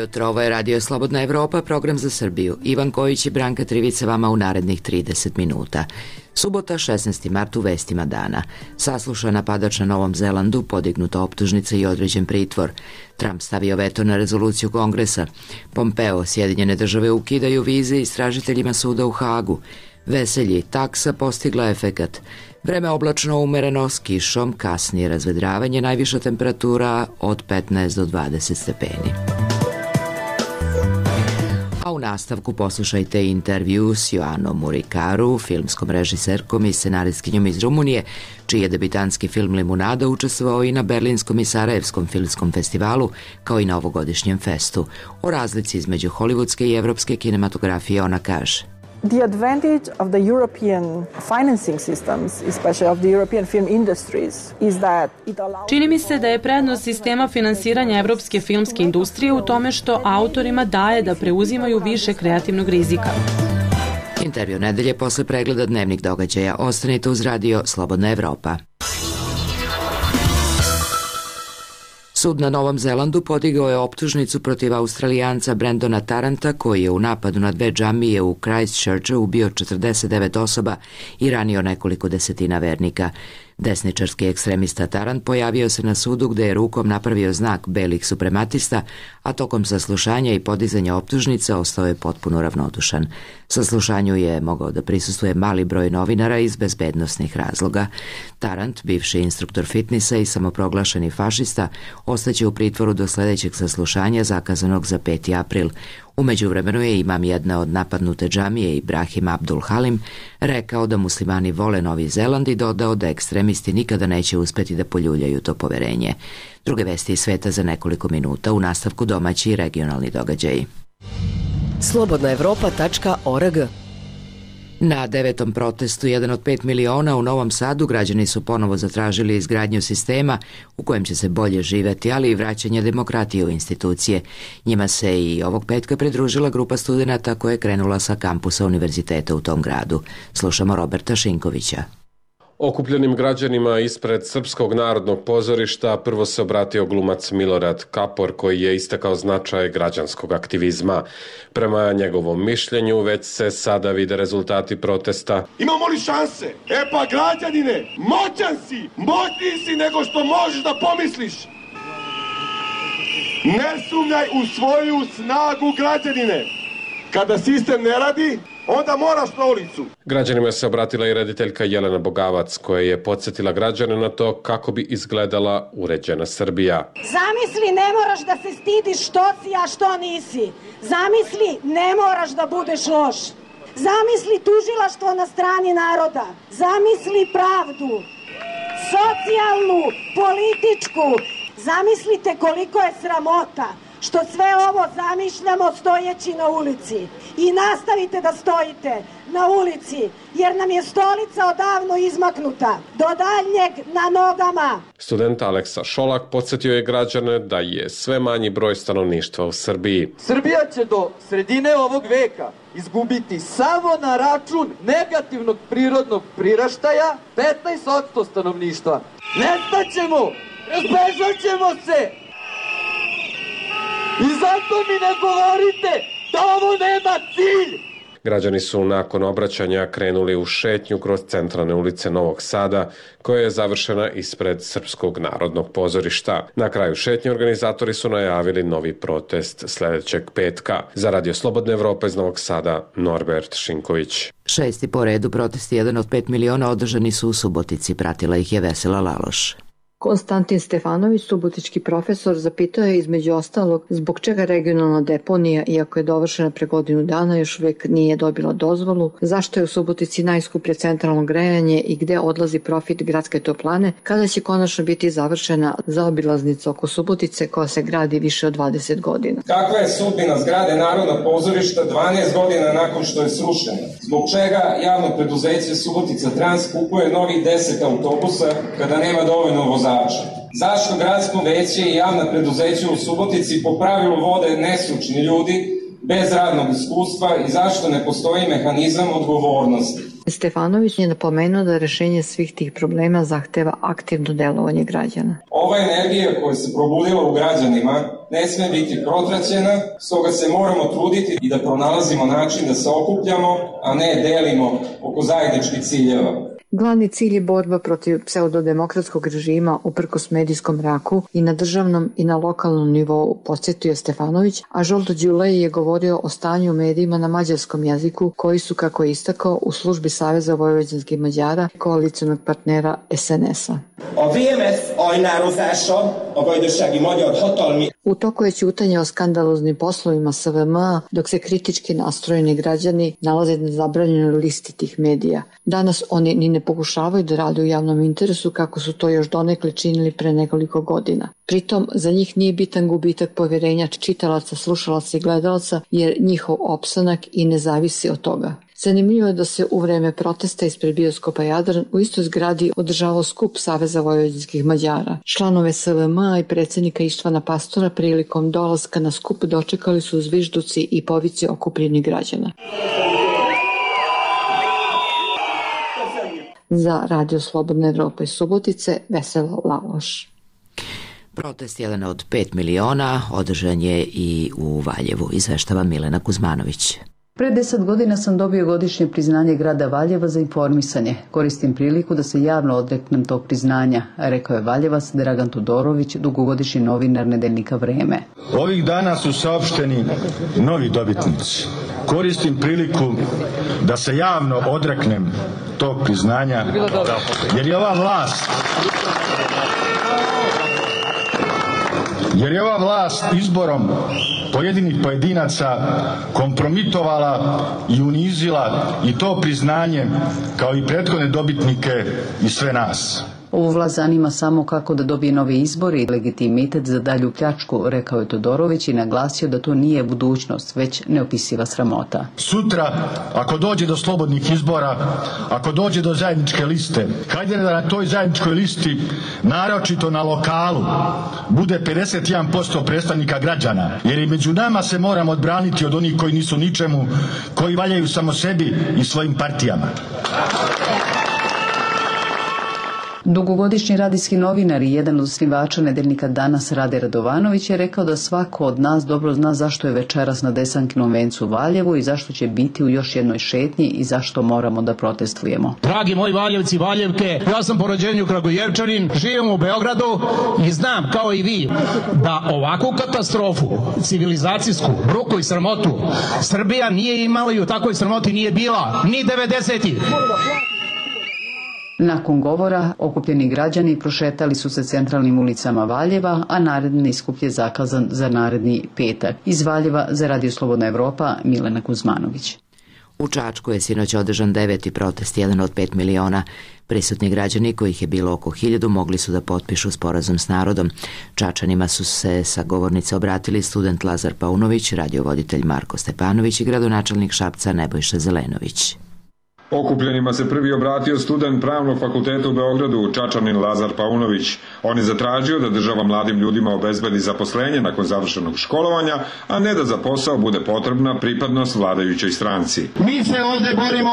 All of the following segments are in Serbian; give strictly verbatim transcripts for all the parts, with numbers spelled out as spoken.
jutro, ovo je Radio Slobodna Evropa, program za Srbiju. Ivan Kojić i Branka Trivica vama u narednih trideset minuta. Subota, šesnaesti mart, u vestima dana. Saslušan napadač na Novom Zelandu, podignuta optužnica i određen pritvor. Trump stavio veto na rezoluciju Kongresa. Pompeo, Sjedinjene države ukidaju vize istražiteljima suda u Hagu. Veselji, taksa postigla efekat. Vreme oblačno umereno s kišom, kasnije razvedravanje, najviša temperatura od petnaest do dvadeset stepeni. A u nastavku poslušajte intervju s Joanom Murikaru, filmskom režiserkom i scenaristkinjom iz Rumunije, čiji je debitanski film Limunada učestvovao i na Berlinskom i Sarajevskom filmskom festivalu, kao i na ovogodišnjem festu. O razlici između hollywoodske i evropske kinematografije ona kaže: The advantage of the European financing systems, especially of the European film industries, is that it allows... Čini mi se da je prednost sistema finansiranja evropske filmske industrije u tome što autorima daje da preuzimaju više kreativnog rizika. Intervju nedelje posle pregleda dnevnih događaja. Ostanite uz Radio Slobodna Evropa. Sud na Novom Zelandu podigao je optužnicu protiv Australijanca Brendona Taranta, koji je u napadu na dve džamije u Christchurchu ubio četrdeset devet osoba i ranio nekoliko desetina vernika. Desničarski ekstremista Tarant pojavio se na sudu gde je rukom napravio znak belih suprematista, a tokom saslušanja i podizanja optužnica ostao je potpuno ravnodušan. Saslušanju je mogao da prisustvuje mali broj novinara iz bezbednosnih razloga. Tarant, bivši instruktor fitnesa i samoproglašeni fašista, ostaće u pritvoru do sledećeg saslušanja zakazanog za peti april. U međuvremenu je imam jedne od napadnute džamije Ibrahim Abdul Halim rekao da muslimani vole Novi Zeland i dodao da ekstremisti nikada neće uspeti da poljuljaju to poverenje. Druge vesti iz sveta za nekoliko minuta, u nastavku domaći i regionalni događaji. slobodna evropa tačka org. Na devetom protestu jedan od pet miliona u Novom Sadu građani su ponovo zatražili izgradnju sistema u kojem će se bolje živeti, ali i vraćanje demokratije u institucije. Njima se i ovog petka pridružila grupa studenata koja je krenula sa kampusa univerziteta u tom gradu. Slušamo Roberta Šinkovića. Okupljenim građanima ispred Srpskog narodnog pozorišta prvo se obratio glumac Milorad Kapor, koji je istakao značaj građanskog aktivizma. Prema njegovom mišljenju već se sada vide rezultati protesta. Imamo li šanse? E pa građanine, moćan si, moćniji si nego što možeš da pomisliš. Ne sumnjaj u svoju snagu, građanine. Kada sistem ne radi, onda moraš na ulicu. Građanima se obratila i rediteljka Jelena Bogavac, koja je podsjetila građane na to kako bi izgledala uređena Srbija. Zamisli, ne moraš da se stidiš što si, a što nisi. Zamisli, ne moraš da budeš loš. Zamisli tužilaštvo na strani naroda. Zamisli pravdu, socijalnu, političku. Zamislite koliko je sramota što sve ovo zamišljamo stojeći na ulici. I nastavite da stojite na ulici, jer nam je stolica odavno izmaknuta. Do daljnjeg na nogama. Student Aleksa Šolak podsjetio je građane da je sve manji broj stanovništva u Srbiji. Srbija će do sredine ovog veka izgubiti samo na račun negativnog prirodnog priraštaja petnaest posto stanovništva. Nestaćemo, razbežat ćemo se. I zato mi ne govorite da ovo nema cilj. Građani su nakon obraćanja krenuli u šetnju kroz centralne ulice Novog Sada, koja je završena ispred Srpskog narodnog pozorišta. Na kraju šetnje organizatori su najavili novi protest sledećeg petka. Za Radio Slobodne Evrope iz Novog Sada, Norbert Šinković. Šesti po redu protesti jedan od pet miliona održani su u Subotici, pratila ih je Vesela Laloš. Konstantin Stefanović, subotički profesor, zapitao je između ostalog zbog čega regionalna deponija, iako je dovršena pre godinu dana, još uvek nije dobila dozvolu, zašto je u Subotici najskuplje centralno grejanje i gde odlazi profit gradske toplane, kada će konačno biti završena zaobilaznica oko Subotice koja se gradi više od dvadeset godina. Kakva je sudbina zgrade Narodnog pozorišta dvanaest godina nakon što je srušena? Zbog čega javno preduzeće Subotica Trans kupuje novih deset autobusa kada nema dovoljno vozača? Zašto gradsko veće i javna preduzeća u Subotici po pravilu vode nestručni ljudi bez radnog iskustva i zašto ne postoji mehanizam odgovornosti. Stefanović je napomenuo da rešenje svih tih problema zahteva aktivno delovanje građana. Ova energija koja se probudila u građanima ne sme biti protraćena, stoga se moramo truditi i da pronalazimo način da se okupljamo, a ne delimo oko zajedničkih ciljeva. Glavni cilj je borba protiv pseudodemokratskog režima uprkos medijskom mraku i na državnom i na lokalnom nivou, podsjetio Stefanović, a Žolto Đulej je govorio o stanju u medijima na mađarskom jeziku koji su, kako je istakao, u službi Saveza vojvođanskih Mađara, koalicionog partnera es en es-a. A vé em es ajnározása a gazdasági magyar hatalmi... U toku je ćutanje o skandaloznim poslovima es ve em a, dok se kritički nastrojeni građani nalaze na zabranjenoj listi tih medija. Danas oni ni ne pokušavaju da rade u javnom interesu kako su to još donekle činili pre nekoliko godina. Pritom, za njih nije bitan gubitak poverenja čitalaca, slušalaca i gledalaca, jer njihov opstanak i ne zavisi od toga. Zanimljivo je da se u vreme protesta ispred bioskopa Jadran u istoj zgradi održavao skup Saveza vojvođanskih Mađara. Članove es ve em a i predsjednika Ištvana Pastora prilikom dolaska na skup dočekali su zvižduci i povici okupljenih građana. Za Radio Slobodna Evropa iz Subotice, Vesela Laloš. Protest jedan od pet miliona održan je i u Valjevu, izveštava Milena Kuzmanović. Pre deset godina sam dobio godišnje priznanje grada Valjeva za informisanje. Koristim priliku da se javno odreknem tog priznanja, rekao je Valjevac Dragan Todorović, dugogodišnji novinar nedeljnika Vreme. Ovih dana su saopšteni novi dobitnici. Koristim priliku da se javno odreknem tog priznanja, jer je ova vlast jer je ova vlast izborom pojedinih pojedinaca kompromitovala i unizila i to priznanje kao i prethodne dobitnike i sve nas. Ovu vlast zanima samo kako da dobije novi izbori i legitimitet za dalju pljačku, rekao je Todorović i naglasio da to nije budućnost, već neopisiva sramota. Sutra, ako dođe do slobodnih izbora, ako dođe do zajedničke liste, hajde da na toj zajedničkoj listi, naročito na lokalu, bude pedeset jedan posto predstavnika građana, jer i među nama se moramo odbraniti od onih koji nisu ničemu, koji valjaju samo sebi i svojim partijama. Dugogodišnji radijski novinar i jedan od osnivača nedeljnika Danas Rade Radovanović je rekao da svako od nas dobro zna zašto je večeras na Desankinom vencu u Valjevu i zašto će biti u još jednoj šetnji i zašto moramo da protestujemo. Dragi moji Valjevci i Valjevke, ja sam po rođenju Kragujevčanin, živim u Beogradu i znam kao i vi da ovakvu katastrofu, civilizacijsku, bruku i sramotu Srbija nije imala i u takvoj sramoti nije bila ni devedesetih. Nakon govora, okupljeni građani prošetali su se centralnim ulicama Valjeva, a naredni skup je zakazan za naredni petak. Iz Valjeva za Radio Slobodna Evropa, Milena Kuzmanović. U Čačku je sinoć održan deveti protest, jedan od pet miliona. Prisutni građani, kojih je bilo oko hiljadu, mogli su da potpišu sporazum s narodom. Čačanima su se sa govornice obratili student Lazar Paunović, radiovoditelj Marko Stepanović i gradonačelnik Šapca Nebojša Zelenović. Okupljenima se prvi obratio student Pravnog fakulteta u Beogradu, Čačanin Lazar Paunović. On je zatražio da država mladim ljudima obezbedi zaposlenje nakon završenog školovanja, a ne da za posao bude potrebna pripadnost vladajućoj stranci. Mi se ovde borimo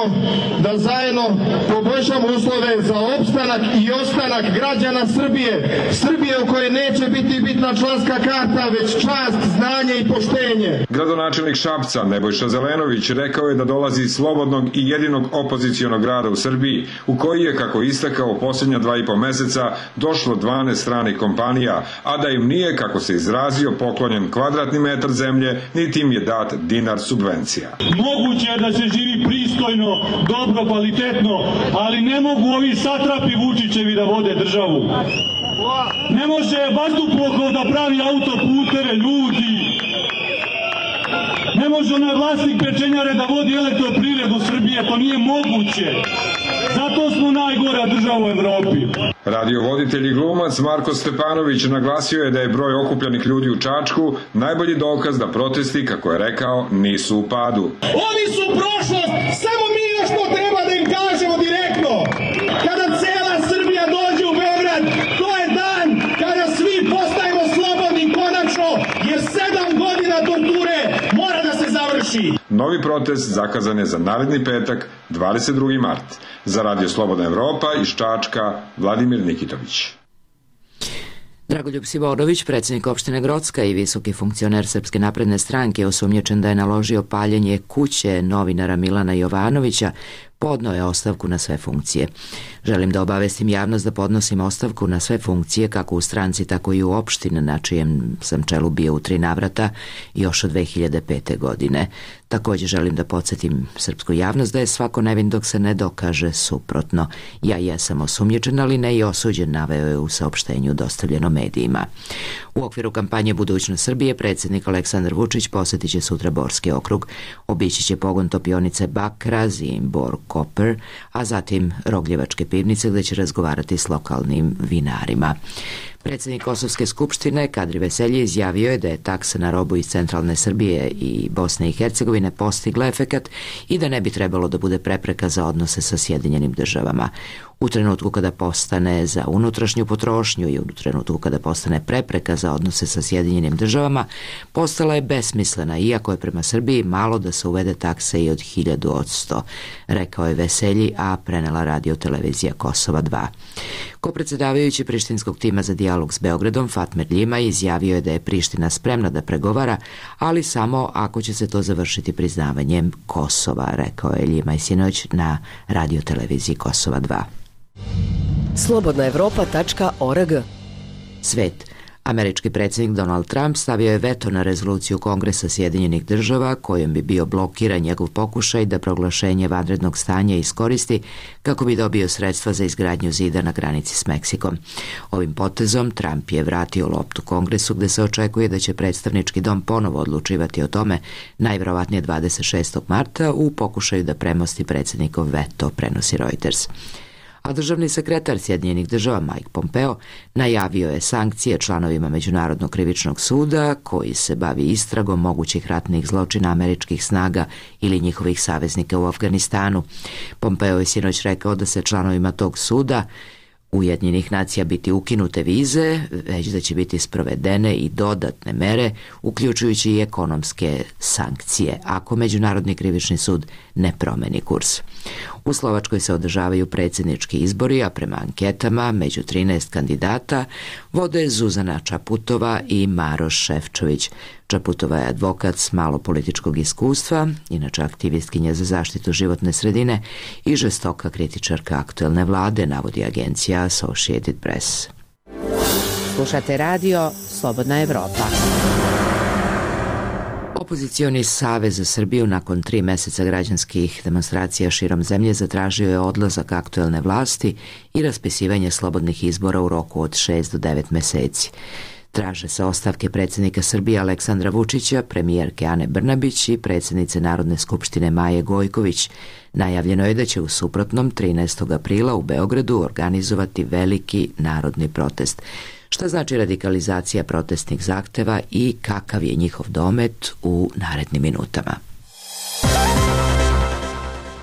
da zajedno poboljšamo uslove za opstanak i ostanak građana Srbije. Srbije u kojoj neće biti bitna članska karta, već čast, znanje i poštenje. Gradonačelnik Šapca Nebojša Zelenović rekao je da dolazi iz slobodnog i jedinog opozicionog grada u Srbiji, u koji je, kako istakao, u posljednja dva i po meseca došlo dvanaest stranih kompanija, a da im nije, kako se izrazio, poklonjen kvadratni metar zemlje, niti im je dat dinar subvencija. Moguće je da se živi pristojno, dobro, kvalitetno, ali ne mogu ovi satrapi Vučićevi da vode državu. Ne može Vazduhplov da pravi autoputeve, ljudi. Ne može onaj vlasnik pečenjare da vodi elektroprivredu Srbije, to nije moguće. Zato smo najgora država u Evropi. Radiovoditelj i glumac Marko Stepanović naglasio je da je broj okupljenih ljudi u Čačku najbolji dokaz da protesti, kako je rekao, nisu u padu. Oni su prošlost, samo mi još to treba da im kažemo direktno. Kada cela Srbija dođe u Beograd, to je dan kada svi postajemo slobodni konačno, jer sedam godina torture mora da se završi. Novi protest zakazan je za naredni petak, dvadeset drugi mart. Za Radio Slobodna Evropa iz Čačka, Vladimir Nikitović. Dragoljub Simonović, predsjednik opštine Grocka i visoki funkcioner Srpske napredne stranke, osumnjičen da je naložio paljenje kuće novinara Milana Jovanovića, podneo je ostavku na sve funkcije. Želim da obavestim javnost da podnosim ostavku na sve funkcije kako u stranci, tako i u opštini na čijem sam čelu bio u tri navrata još od dve hiljade pete. godine. Također želim da podsjetim srpsku javnost da je svako nevin dok se ne dokaže suprotno. Ja jesam osumnjičen, ali ne i osuđen, naveo je u saopštenju dostavljeno medijima. U okviru kampanje Budućnost Srbije predsjednik Aleksandar Vučić posjetit će sutra Borski okrug, obići će pogon topionice Bakra, Zimbor, Koper, a zatim Rogljevačke pivnice gdje će razgovarati s lokalnim vinarima. Predsjednik Kosovske skupštine Kadri Veselji izjavio je da je taksa na robu iz centralne Srbije i Bosne i Hercegovine postigla efekat i da ne bi trebalo da bude prepreka za odnose sa Sjedinjenim državama. U trenutku kada postane za unutrašnju potrošnju i u trenutku kada postane prepreka za odnose sa Sjedinjenim državama, postala je besmislena, iako je prema Srbiji malo da se uvede taksa i od hiljadu od sto, rekao je Veselji, a prenela radio televizija Kosova dva. Kopredsjedavajući prištinskog tima za dijalog s Beogradom Fatmir Ljima izjavio je da je Priština spremna da pregovara, ali samo ako će se to završiti priznavanjem Kosova, rekao je Ljima i sinoć na radio televiziji Kosova dva. slobodna evropa tačka org. Svet. Američki predsjednik Donald Trump stavio je veto na rezoluciju Kongresa Sjedinjenih država kojom bi bio blokiran njegov pokušaj da proglašenje vanrednog stanja iskoristi kako bi dobio sredstva za izgradnju zida na granici s Meksikom. Ovim potezom Trump je vratio loptu Kongresu gde se očekuje da će predstavnički dom ponovo odlučivati o tome, najvjerovatnije dvadeset šestog marta u pokušaju da premosti predsjednikov veto, prenosi Reuters. A državni sekretar Sjedinjenih država Mike Pompeo najavio je sankcije članovima Međunarodnog krivičnog suda koji se bavi istragom mogućih ratnih zločina američkih snaga ili njihovih saveznika u Afganistanu. Pompeo je sinoć rekao da se članovima tog suda Ujedinjenih nacija biti ukinute vize, već da će biti sprovedene i dodatne mere, uključujući i ekonomske sankcije, ako Međunarodni krivični sud ne promeni kurs. U Slovačkoj se održavaju predsjednički izbori, a prema anketama među trinaest kandidata vode Zuzana Čaputova i Maroš Šefčović. Čaputova je advokat s malo političkog iskustva, inače aktivistkinja za zaštitu životne sredine i žestoka kritičarka aktuelne vlade, navodi agencija Associated Press. Slušate radio Slobodna Evropa. Opozicioni savez za Srbiju nakon tri meseca građanskih demonstracija širom zemlje zatražio je odlazak aktuelne vlasti i raspisivanje slobodnih izbora u roku od šest do devet meseci. Traže se ostavke predsjednika Srbije Aleksandra Vučića, premijerke Ane Brnabić i predsjednice Narodne skupštine Maje Gojković. Najavljeno je da će u suprotnom trinaestog aprila u Beogradu organizovati veliki narodni protest. Šta znači radikalizacija protestnih zahteva i kakav je njihov domet u narednim minutama.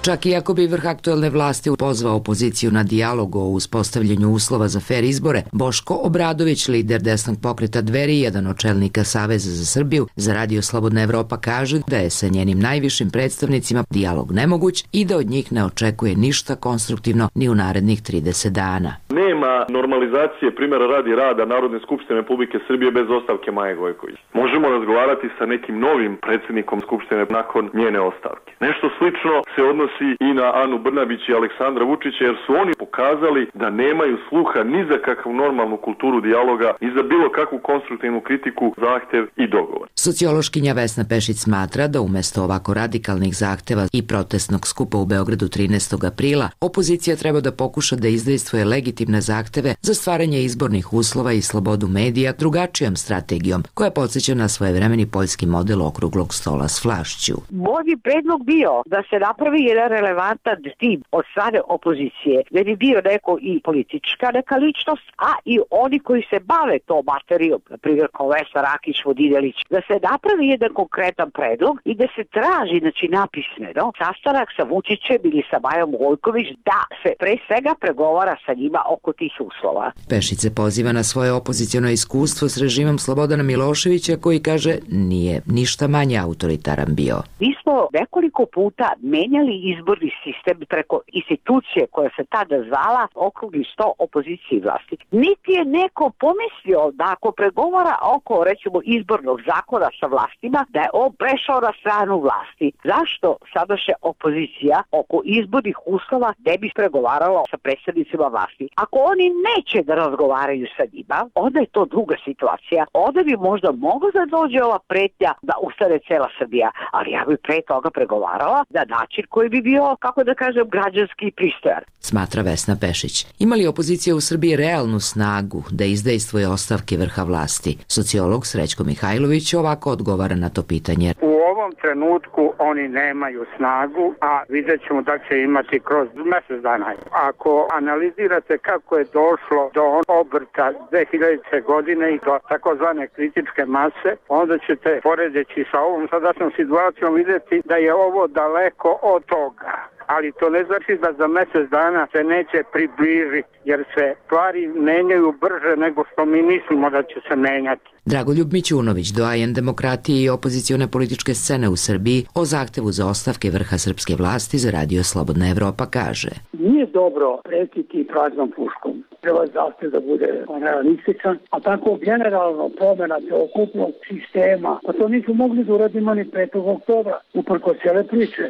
Čak i ako bi vrh aktuelne vlasti pozvao opoziciju na dijalog o uspostavljanju uslova za fer izbore, Boško Obradović, lider desnog pokreta Dveri, jedan od čelnika Saveza za Srbiju, za Radio Slobodna Evropa kaže da je sa njenim najvišim predstavnicima dijalog nemoguć i da od njih ne očekuje ništa konstruktivno ni u narednih trideset dana. Nema normalizacije primjera radi rada Narodne skupštine Republike Srbije bez ostavke Maje Gojković. Možemo razgovarati sa nekim novim predsjednikom Skupštine nakon njene ostavke. Nešto slično se odnosi i na Anu Brnabić i Aleksandra Vučića, jer su oni pokazali da nemaju sluha ni za kakvu normalnu kulturu dijaloga i za bilo kakvu konstruktivnu kritiku, zahtev i dogovor. Sociološkinja Vesna Pešić smatra da umjesto ovako radikalnih zahteva i protestnog skupa u Beogradu trinaestog aprila, opozicija treba da pokuša da izdejstvuje legitimne zahteve za stvaranje izbornih uslova i slobodu medija drugačijom strategijom, koja podsjeća na svojevremeni poljski model okruglog stola s vlašću. Moj bi predlog bio da se napravi jedan relevantan tim od strane opozicije, da bi bio neko i politička neka ličnost, a i oni koji se bave to materijom, na primjer kao Vesna Rakić, Vodinelić, da se napravi jedan konkretan predlog i da se traži, znači napismeno, sastanak sa Vučićem ili sa Majom Gojković, da se pre svega pregovara sa njima oko tih uslova. Pešić se poziva na svoje opoziciono iskustvo s režimom Slobodana Miloševića koji kaže nije ništa manje autoritaran bio. Mi smo nekoliko puta menjali izborni sistem preko institucije koja se tada zvala okrugli sto opozicije i vlasti. Niti je neko pomislio da ako pregovara oko, recimo, izbornog zakona sa vlastima, da je on prešao na stranu vlasti. Zašto sadašnja opozicija oko izbornih uslova ne bi pregovarala sa predstavnicima vlasti? Ako oni neće da razgovaraju sa njima, onda je to druga situacija. Onda bi možda mogla da dođe ova pretnja da ustane cela Srbija, ali ja bi pre toga pregovarala na način koji bi bio, kako da kažem, građanski i pristojan. Smatra Vesna Pešić. Ima li opozicija u Srbiji realnu snagu da izdejstvuje ostavke vrha vlasti? Sociolog Srećko Mihajlović ovako odgovara na to pitanje. U ovom trenutku oni nemaju snagu, a vidjet ćemo da će imati kroz mesec dana. Ako analizirate kako je došlo do obrta dve hiljadite. godine i do takozvane kritičke mase, onda ćete, poredeći sa ovom sadašnjom situacijom, vidjeti da je ovo daleko od toga. Ali to ne znači da za mjesec dana se neće približiti, jer se stvari menjaju brže nego što mi mislimo da će se menjati. Dragoljub Mićunović, doajen demokratije i opozicione političke scene u Srbiji, o zahtevu za ostavke vrha srpske vlasti za Radio Slobodna Evropa kaže: Nije dobro pretiti praznom puškom. Treba zahtev da bude realističan, a tako generalno promjena celokupnog sistema, pa to nisu mogli da uradimo ni petog oktobra, uprko cijele priče.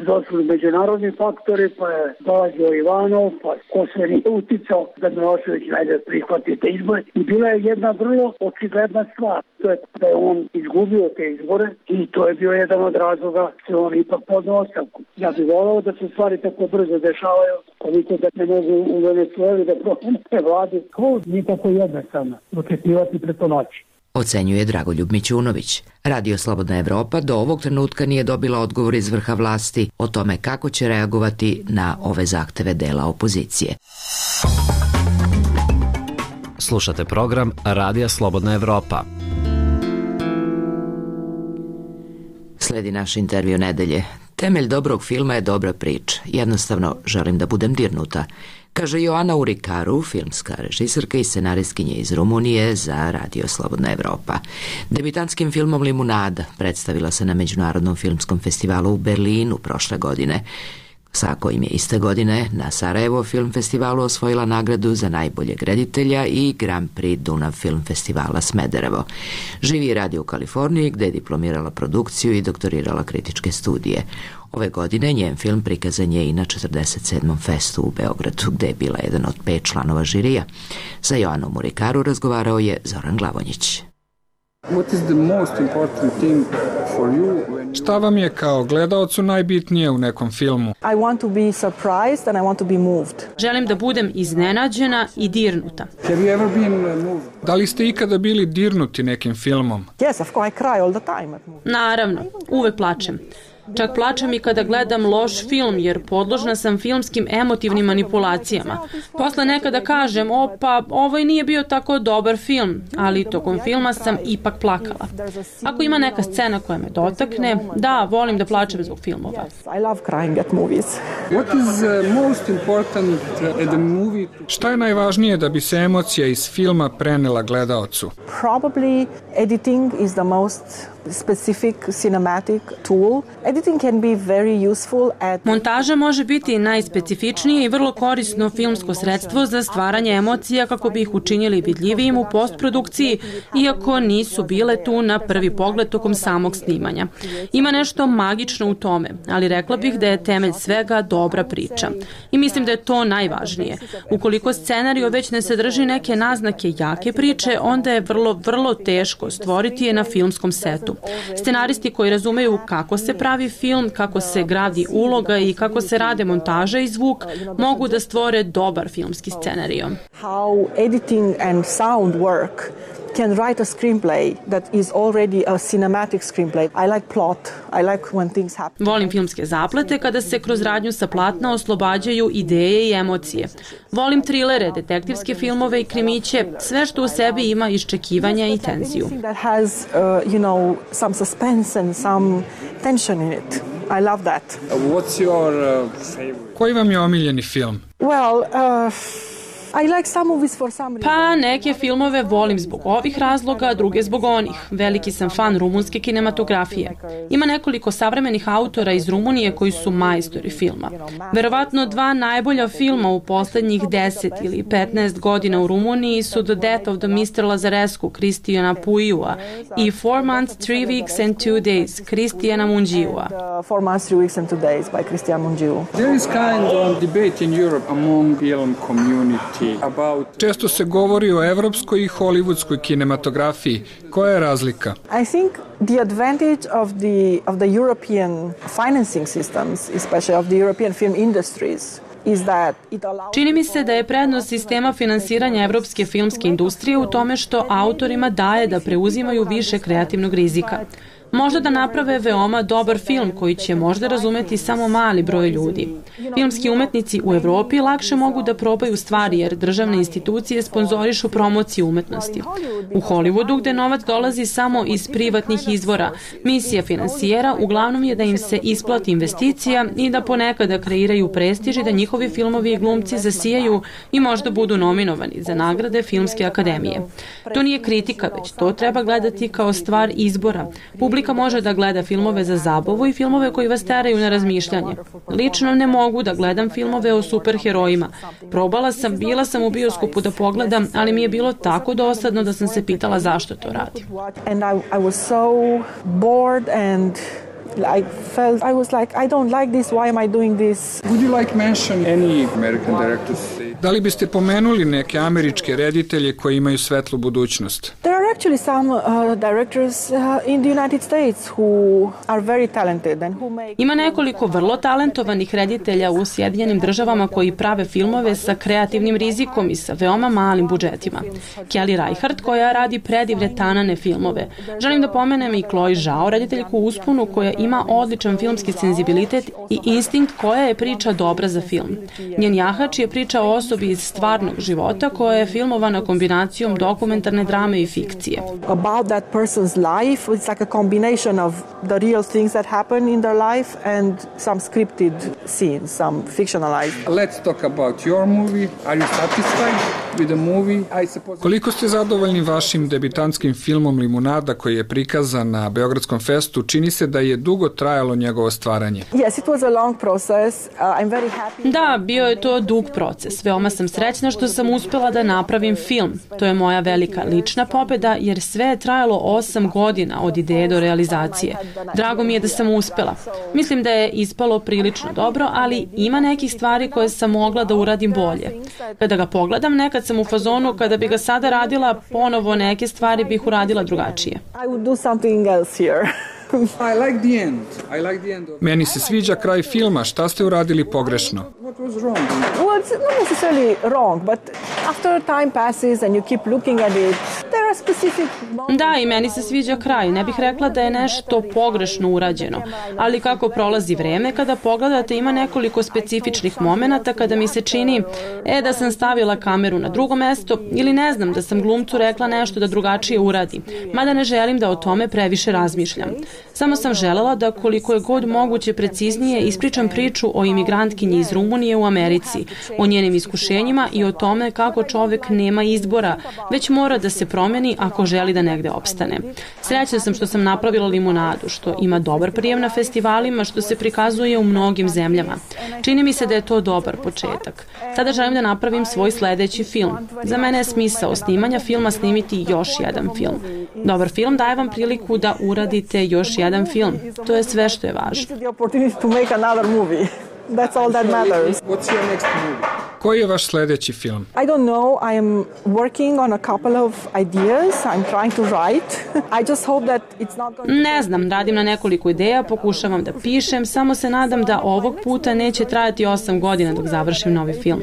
Došli međunarodni faktori, pa je dolazio Ivanov, pa ko sve nije uticao da Milošević najde prihvati te izbore. I bila je jedna vrlo očigledna stvar, to je da je on izgubio te izbore i to je bio jedan od razloga što on ipak podno ostavku. Ja bih volao da se stvari tako brzo dešavaju, koliko da ne mogu u Venezueli da promene vladi. Ko nije tako jednostavno očekivati preko noći. Ocenjuje Dragoljub Mićunović. Radio Slobodna Evropa do ovog trenutka nije dobila odgovor iz vrha vlasti o tome kako će reagovati na ove zahteve dela opozicije. Slušate program Radija Slobodna Evropa. Sledi naš intervju nedelje. Temelj dobrog filma je dobra priča. Jednostavno želim da budem dirnuta, kaže Joana Urikaru, filmska režiserka i scenaristkinja iz Rumunije za Radio Slobodna Evropa. Debitantskim filmom Limunada predstavila se na Međunarodnom filmskom festivalu u Berlinu prošle godine, sa kojim je iste godine na Sarajevo film festivalu osvojila nagradu za najboljeg reditelja i Grand Prix Dunav film festivala Smederevo. Živi i radi u Kaliforniji, gde je diplomirala produkciju i doktorirala kritičke studije. Ove godine njen film prikazan je i na četrdeset sedmom festu u Beogradu, gde je bila jedan od pet članova žirija. Sa Joanom Urikaru razgovarao je Zoran Glavonjić. What is the most important thing for you? Šta vam je kao gledaocu najbitnije u nekom filmu? I want to be surprised and I want to be moved. Želim da budem iznenađena i dirnuta. Have you ever been moved? Da li ste ikada bili dirnuti nekim filmom? Yes, of course, I cry all the time at movies. Naravno, uvek plačem. Čak plačem i kada gledam loš film, jer podložna sam filmskim emotivnim manipulacijama. Posle nekada kažem, o pa, ovo nije bio tako dobar film, ali tokom filma sam ipak plakala. Ako ima neka scena koja me dotakne, da, volim da plačem zbog filmova. I love crying at movies. What is most important at the movie? Šta je najvažnije da bi se emocija iz filma prenela gledaocu? Probably editing is the most specific cinematic tool. Editing can be very useful at... Montaža može biti najspecifičnije i vrlo korisno filmsko sredstvo za stvaranje emocija kako bi ih učinili vidljivijim u postprodukciji, iako nisu bile tu na prvi pogled tokom samog snimanja. Ima nešto magično u tome, ali rekla bih da je temelj svega dobra priča. I mislim da je to najvažnije. Ukoliko scenario već ne sadrži neke naznake jake priče, onda je vrlo, vrlo teško stvoriti je na filmskom setu. Scenaristi koji razumeju kako se pravi film, kako se gradi uloga i kako se rade montaža i zvuk, mogu da stvore dobar filmski scenario. How editing and sound work can write a screenplay that is already a cinematic screenplay. I like plot. I like when things happen. Volim filmske zaplete kada se kroz radnju sa platna oslobađaju ideje i emocije. Volim trilere, detektivske filmove i krimiće, sve što u sebi ima iščekivanja i tenziju. That has, uh, you know, some suspense and some tension in it. I love that. What's your uh, favorite? Koji vam je omiljeni film? Well, uh, I like some movies for some reason. Pa neke filmove volim zbog ovih razloga, druge zbog onih. Veliki sam fan rumunske kinematografije. Ima nekoliko savremenih autora iz Rumunije koji su majstori filma. Verovatno dva najbolja filma u poslednjih deset ili petnaest godina u Rumuniji su The Death of the mister Lazarescu Cristijana Puiua i Four Months, Three Weeks and Two Days Cristijana Mungiua. Four Months, Three Weeks and Two Days by Cristian Mungiu. There is kind of debate in Europe among film community about... Često se govori o evropskoj i hollywoodskoj kinematografiji. Koja je razlika? I think the advantage of the of the European financing systems, especially of the European film industries, čini mi se da je prednost sistema finansiranja evropske filmske industrije u tome što autorima daje da preuzimaju više kreativnog rizika. Možda da naprave veoma dobar film koji će možda razumeti samo mali broj ljudi. Filmski umetnici u Evropi lakše mogu da probaju stvari jer državne institucije sponzorišu promociju umetnosti. U Hollywoodu, gde novac dolazi samo iz privatnih izvora, misija finansijera uglavnom je da im se isplati investicija i da ponekada kreiraju prestiž i da njihovi filmovi i glumci zasijaju i možda budu nominovani za nagrade Filmske akademije. To nije kritika, već to treba gledati kao stvar izbora. Publika može da gleda filmove za zabavu i filmove koji vas teraju na razmišljanje. Lično ne mogu da gledam filmove o superherojima. Probala sam, bila sam u bioskopu da pogledam, ali mi je bilo tako dosadno da sam se pitala zašto to radim. And I, I was so bored and I felt I was like I don't like this, why am I doing this? Would you like mention any American directors? Da li biste pomenuli neke američke reditelje koji imaju svetlu budućnost? There are actually some uh, directors uh, in the United States who are very talented and who make... Ima nekoliko vrlo talentovanih reditelja u Sjedinjenim državama koji prave filmove sa kreativnim rizikom i sa veoma malim budžetima. Kelly Reichardt koja radi predivne tanane filmove. Želim da pomenem i Chloe Zhao, rediteljku u usponu koja ima odličan filmski senzibilitet i instinkt koja je priča dobra za film. Njen jahač je priča o osobi iz stvarnog života koja je filmovana kombinacijom dokumentarne drame i fikcije. About that person's life, it's like a combination of the real things that happen in their life and some scripted scenes, some fictionalized. Let's talk about your movie. Are you satisfied with the movie? I suppose... Koliko ste zadovoljni vašim debitantskim filmom Limunada koji je prikazan na Beogradskom festu? Čini se da je dugo trajalo njegovo stvaranje. Yes, it was a long process. Uh, I'm very happy. Da, bio je to dug proces. Veoma sam srećna što sam uspela da napravim film. To je moja velika lična pobeda jer sve je trajalo osam godina od ideje do realizacije. Drago mi je da sam uspela. Mislim da je ispalo prilično dobro, ali ima nekih stvari koje sam mogla da uradim bolje. Kada ga pogledam, nekad sam u fazonu kada bi ga sada radila ponovo neke stvari bih uradila drugačije. I would do something else here. I like the end. I like the end of... Meni se sviđa kraj filma. Šta ste uradili pogrešno? What was wrong? Well, it's not necessarily wrong, but after time passes and you keep looking at it, there are specific... Da, i meni se sviđa kraj. Ne bih rekla da je nešto pogrešno urađeno. Ali kako prolazi vreme, kada pogledate ima nekoliko specifičnih momenata kada mi se čini e, da sam stavila kameru na drugo mesto ili ne znam da sam glumcu rekla nešto da drugačije uradi. Mada ne želim da o tome previše razmišljam. Samo sam želela da koliko je god moguće preciznije ispričam priču o imigrantkinji iz Rumunije u Americi, o njenim iskušenjima i o tome kako čovek nema izbora, već mora da se promeni ako želi da negde opstane. Srećna sam što sam napravila Limunadu, što ima dobar prijem na festivalima, što se prikazuje u mnogim zemljama. Čini mi se da je to dobar početak. Sada želim da napravim svoj sledeći film. Za mene je smisao snimanja filma snimiti još jedan film. Dobar film daje vam priliku da uradite još jedan film. To je sve što je važno. That's all that matters. What's your next movie? Koji je vaš sledeći film? I don't know. I am working on a couple of ideas. I'm trying to write. I just hope that it's not going to... Ne znam, radim na nekoliko ideja, pokušavam da pišem, samo se nadam da ovog puta neće trajati osam godina dok završim novi film.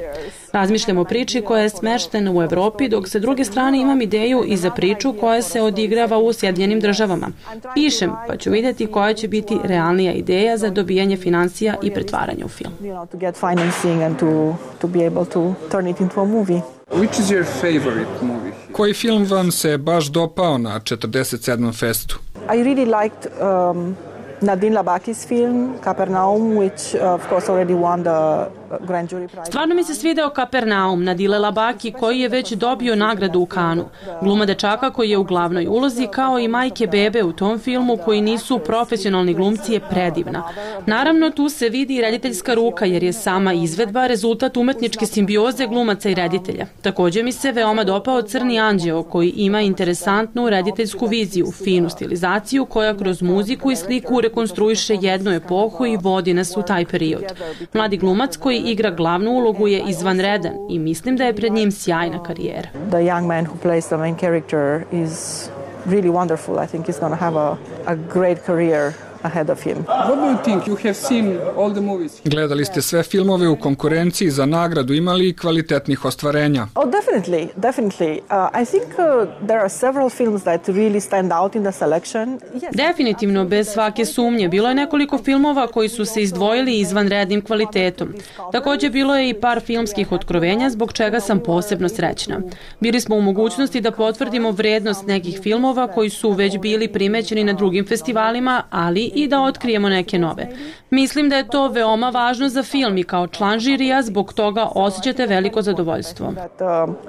Razmišljam o priči koja je smeštena u Evropi, dok sa druge strane imam ideju i za priču koja se odigrava u Sjedinjenim državama. Pišem, pa ću vidjeti koja će biti realnija ideja za dobijanje finansija i pretvaranje u film. To get financing and to to be able to turn it into a movie. Which is your favorite movie? Koji film vam se baš dopao na četrdeset sedmom festu? I really liked um, Nadine Labakis film, Capernaum, which uh, of course already won the grand jury prize. Stvarno mi se svideo Kapernaum Nadile Labaki koji je već dobio nagradu u Kanu. Gluma dečaka koji je u glavnoj ulozi kao i majke bebe u tom filmu koji nisu profesionalni glumci je predivna. Naravno tu se vidi i rediteljska ruka jer je sama izvedba rezultat umetničke simbioze glumaca i reditelja. Također mi se veoma dopao Crni anđeo koji ima interesantnu rediteljsku viziju, finu stilizaciju koja kroz muziku i sliku rekonstruiše jednu epohu i vodi nas u taj period. Mladi glumac koji igra glavnu ulogu je izvanredan i mislim da je pred njim sjajna karijera. The young man who plays the main character is really wonderful. I think he's going to have a, a great career ahead of him. What do you think? You have seen all the movies. Gledali ste sve filmove u konkurenciji za nagradu, imali i kvalitetnih ostvarenja? Oh, definitely, definitely. Uh, I think uh, there are several films that really stand out in the selection. Yes. Definitivno, bez svake sumnje. Bilo je nekoliko filmova koji su se izdvojili izvanrednim kvalitetom. Također bilo je i par filmskih otkrovenja zbog čega sam posebno srećna. Bili smo u mogućnosti da potvrdimo vrednost nekih filmova koji su već bili primećeni na drugim festivalima, ali i da otkrijemo neke nove. Mislim da je to veoma važno za film i kao član žirija zbog toga osjećate veliko zadovoljstvo.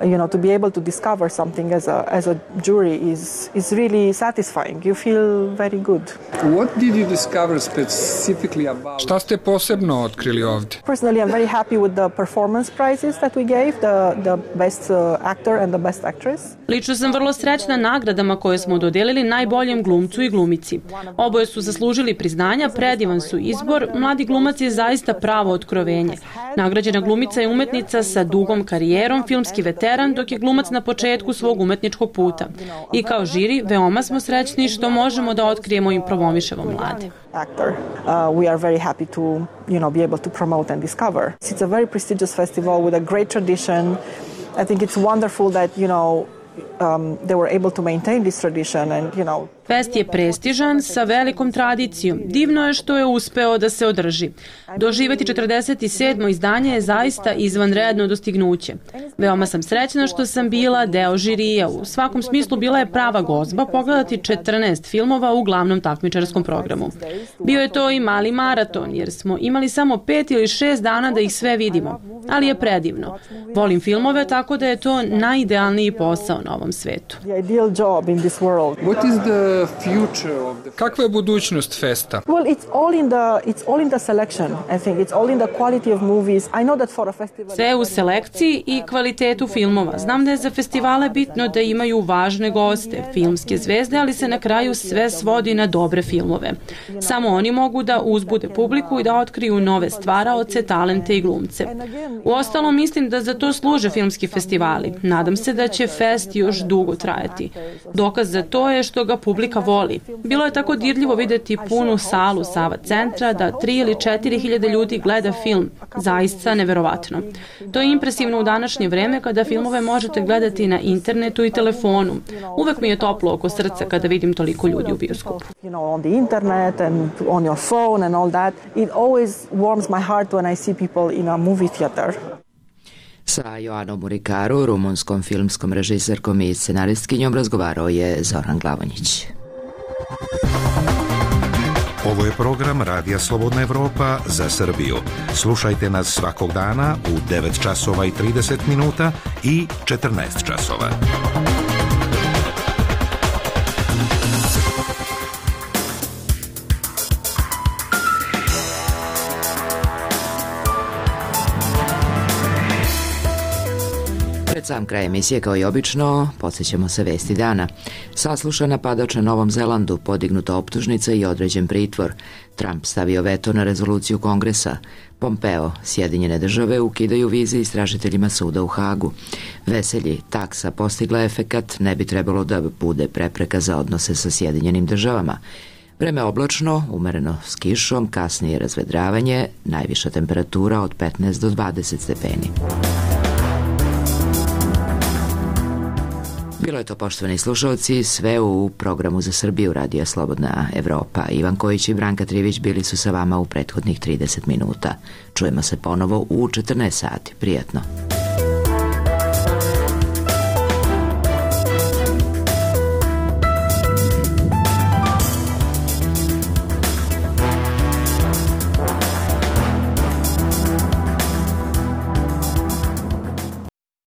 You know, to be able to discover something as a as a jury is is really satisfying. You feel very good. What did you discover specifically about? Šta ste posebno otkrili ovdje? Personally, I'm very happy with the performance prizes that we gave, the the best uh, actor and the best actress. Lično sam vrlo srećna nagradama koje smo dodelili najboljem glumcu i glumici. Oboje su zaslužili priznanja, predivan su izbor, mladi glumac je zaista pravo otkrovenje. Nagrađena glumica je umetnica sa dugom karijerom, filmski veteran, dok je glumac na početku svog umetničkog puta. I kao žiri, veoma smo srećni što možemo da otkrijemo i promovišemo mlade. Actor. Uh, we are very happy to, you know, be able to promote and discover. It's a very prestigious festival with a great tradition. I think it's wonderful that, you know, um, they were able to maintain this tradition and, you know, Fest je prestižan sa velikom tradicijom. Divno je što je uspeo da se održi. Doživjeti četrdeset sedmo izdanje je zaista izvanredno dostignuće. Veoma sam srećna što sam bila deo žirija. U svakom smislu bila je prava gozba pogledati četrnaest filmova u glavnom takmičarskom programu. Bio je to i mali maraton jer smo imali samo pet ili šest dana da ih sve vidimo. Ali je predivno. Volim filmove tako da je to najidealniji posao na ovom svetu. Kakva je budućnost festa? Well, it's all in the it's all in the selection. I think it's all in the quality of movies. I know that for a festival. Sve u selekciji i kvalitetu filmova. Znam da je za festivale bitno da imaju važne goste, filmske zvezde, ali se na kraju sve svodi na dobre filmove. Samo oni mogu da uzbude publiku i da otkriju nove stvaraoce, talente i glumce. Uostalom, mislim da za to služe filmski festivali. Nadam se da će fest još dugo trajati. Dokaz za to je što ga publika voli. Bilo je tako dirljivo vidjeti punu salu Sava centra da tri ili četiri hiljade ljudi gleda film. Zaista neverovatno. To je impresivno u današnje vreme kada filmove možete gledati na internetu i telefonu. Uvek mi je toplo oko srca kada vidim toliko ljudi u bioskopu. You know, on the internet and on your phone and all that. It always warms my heart when I see people in a movie theater. Sa Joanom Murikaru, rumunskom filmskom režiserkom i scenaristkinjom, razgovarao je Zoran Glavonjić. Ovo je program Radija Slobodna Evropa za Srbiju. Slušajte nas svakog dana u devet časova i trideset minuta i četrnaest časova. Pred sam kraj emisije, kao i obično, podsjećamo se vesti dana. Saslušan napadač na Novom Zelandu, podignuta optužnica i određen pritvor. Trump stavio veto na rezoluciju Kongresa. Pompeo, Sjedinjene države ukidaju vize istražiteljima suda u Hagu. Veselji, taksa postigla efekat, ne bi trebalo da bude prepreka za odnose sa Sjedinjenim državama. Vreme oblačno, umereno s kišom, kasnije razvedravanje, najviša temperatura od petnaest do dvadeset stepeni. Bilo je to, poštovani slušalci, sve u programu za Srbiju Radija Slobodna Evropa. Ivan Kojić i Branka Trivić bili su sa vama u prethodnih trideset minuta. Čujemo se ponovo u četrnaest sati. Prijatno.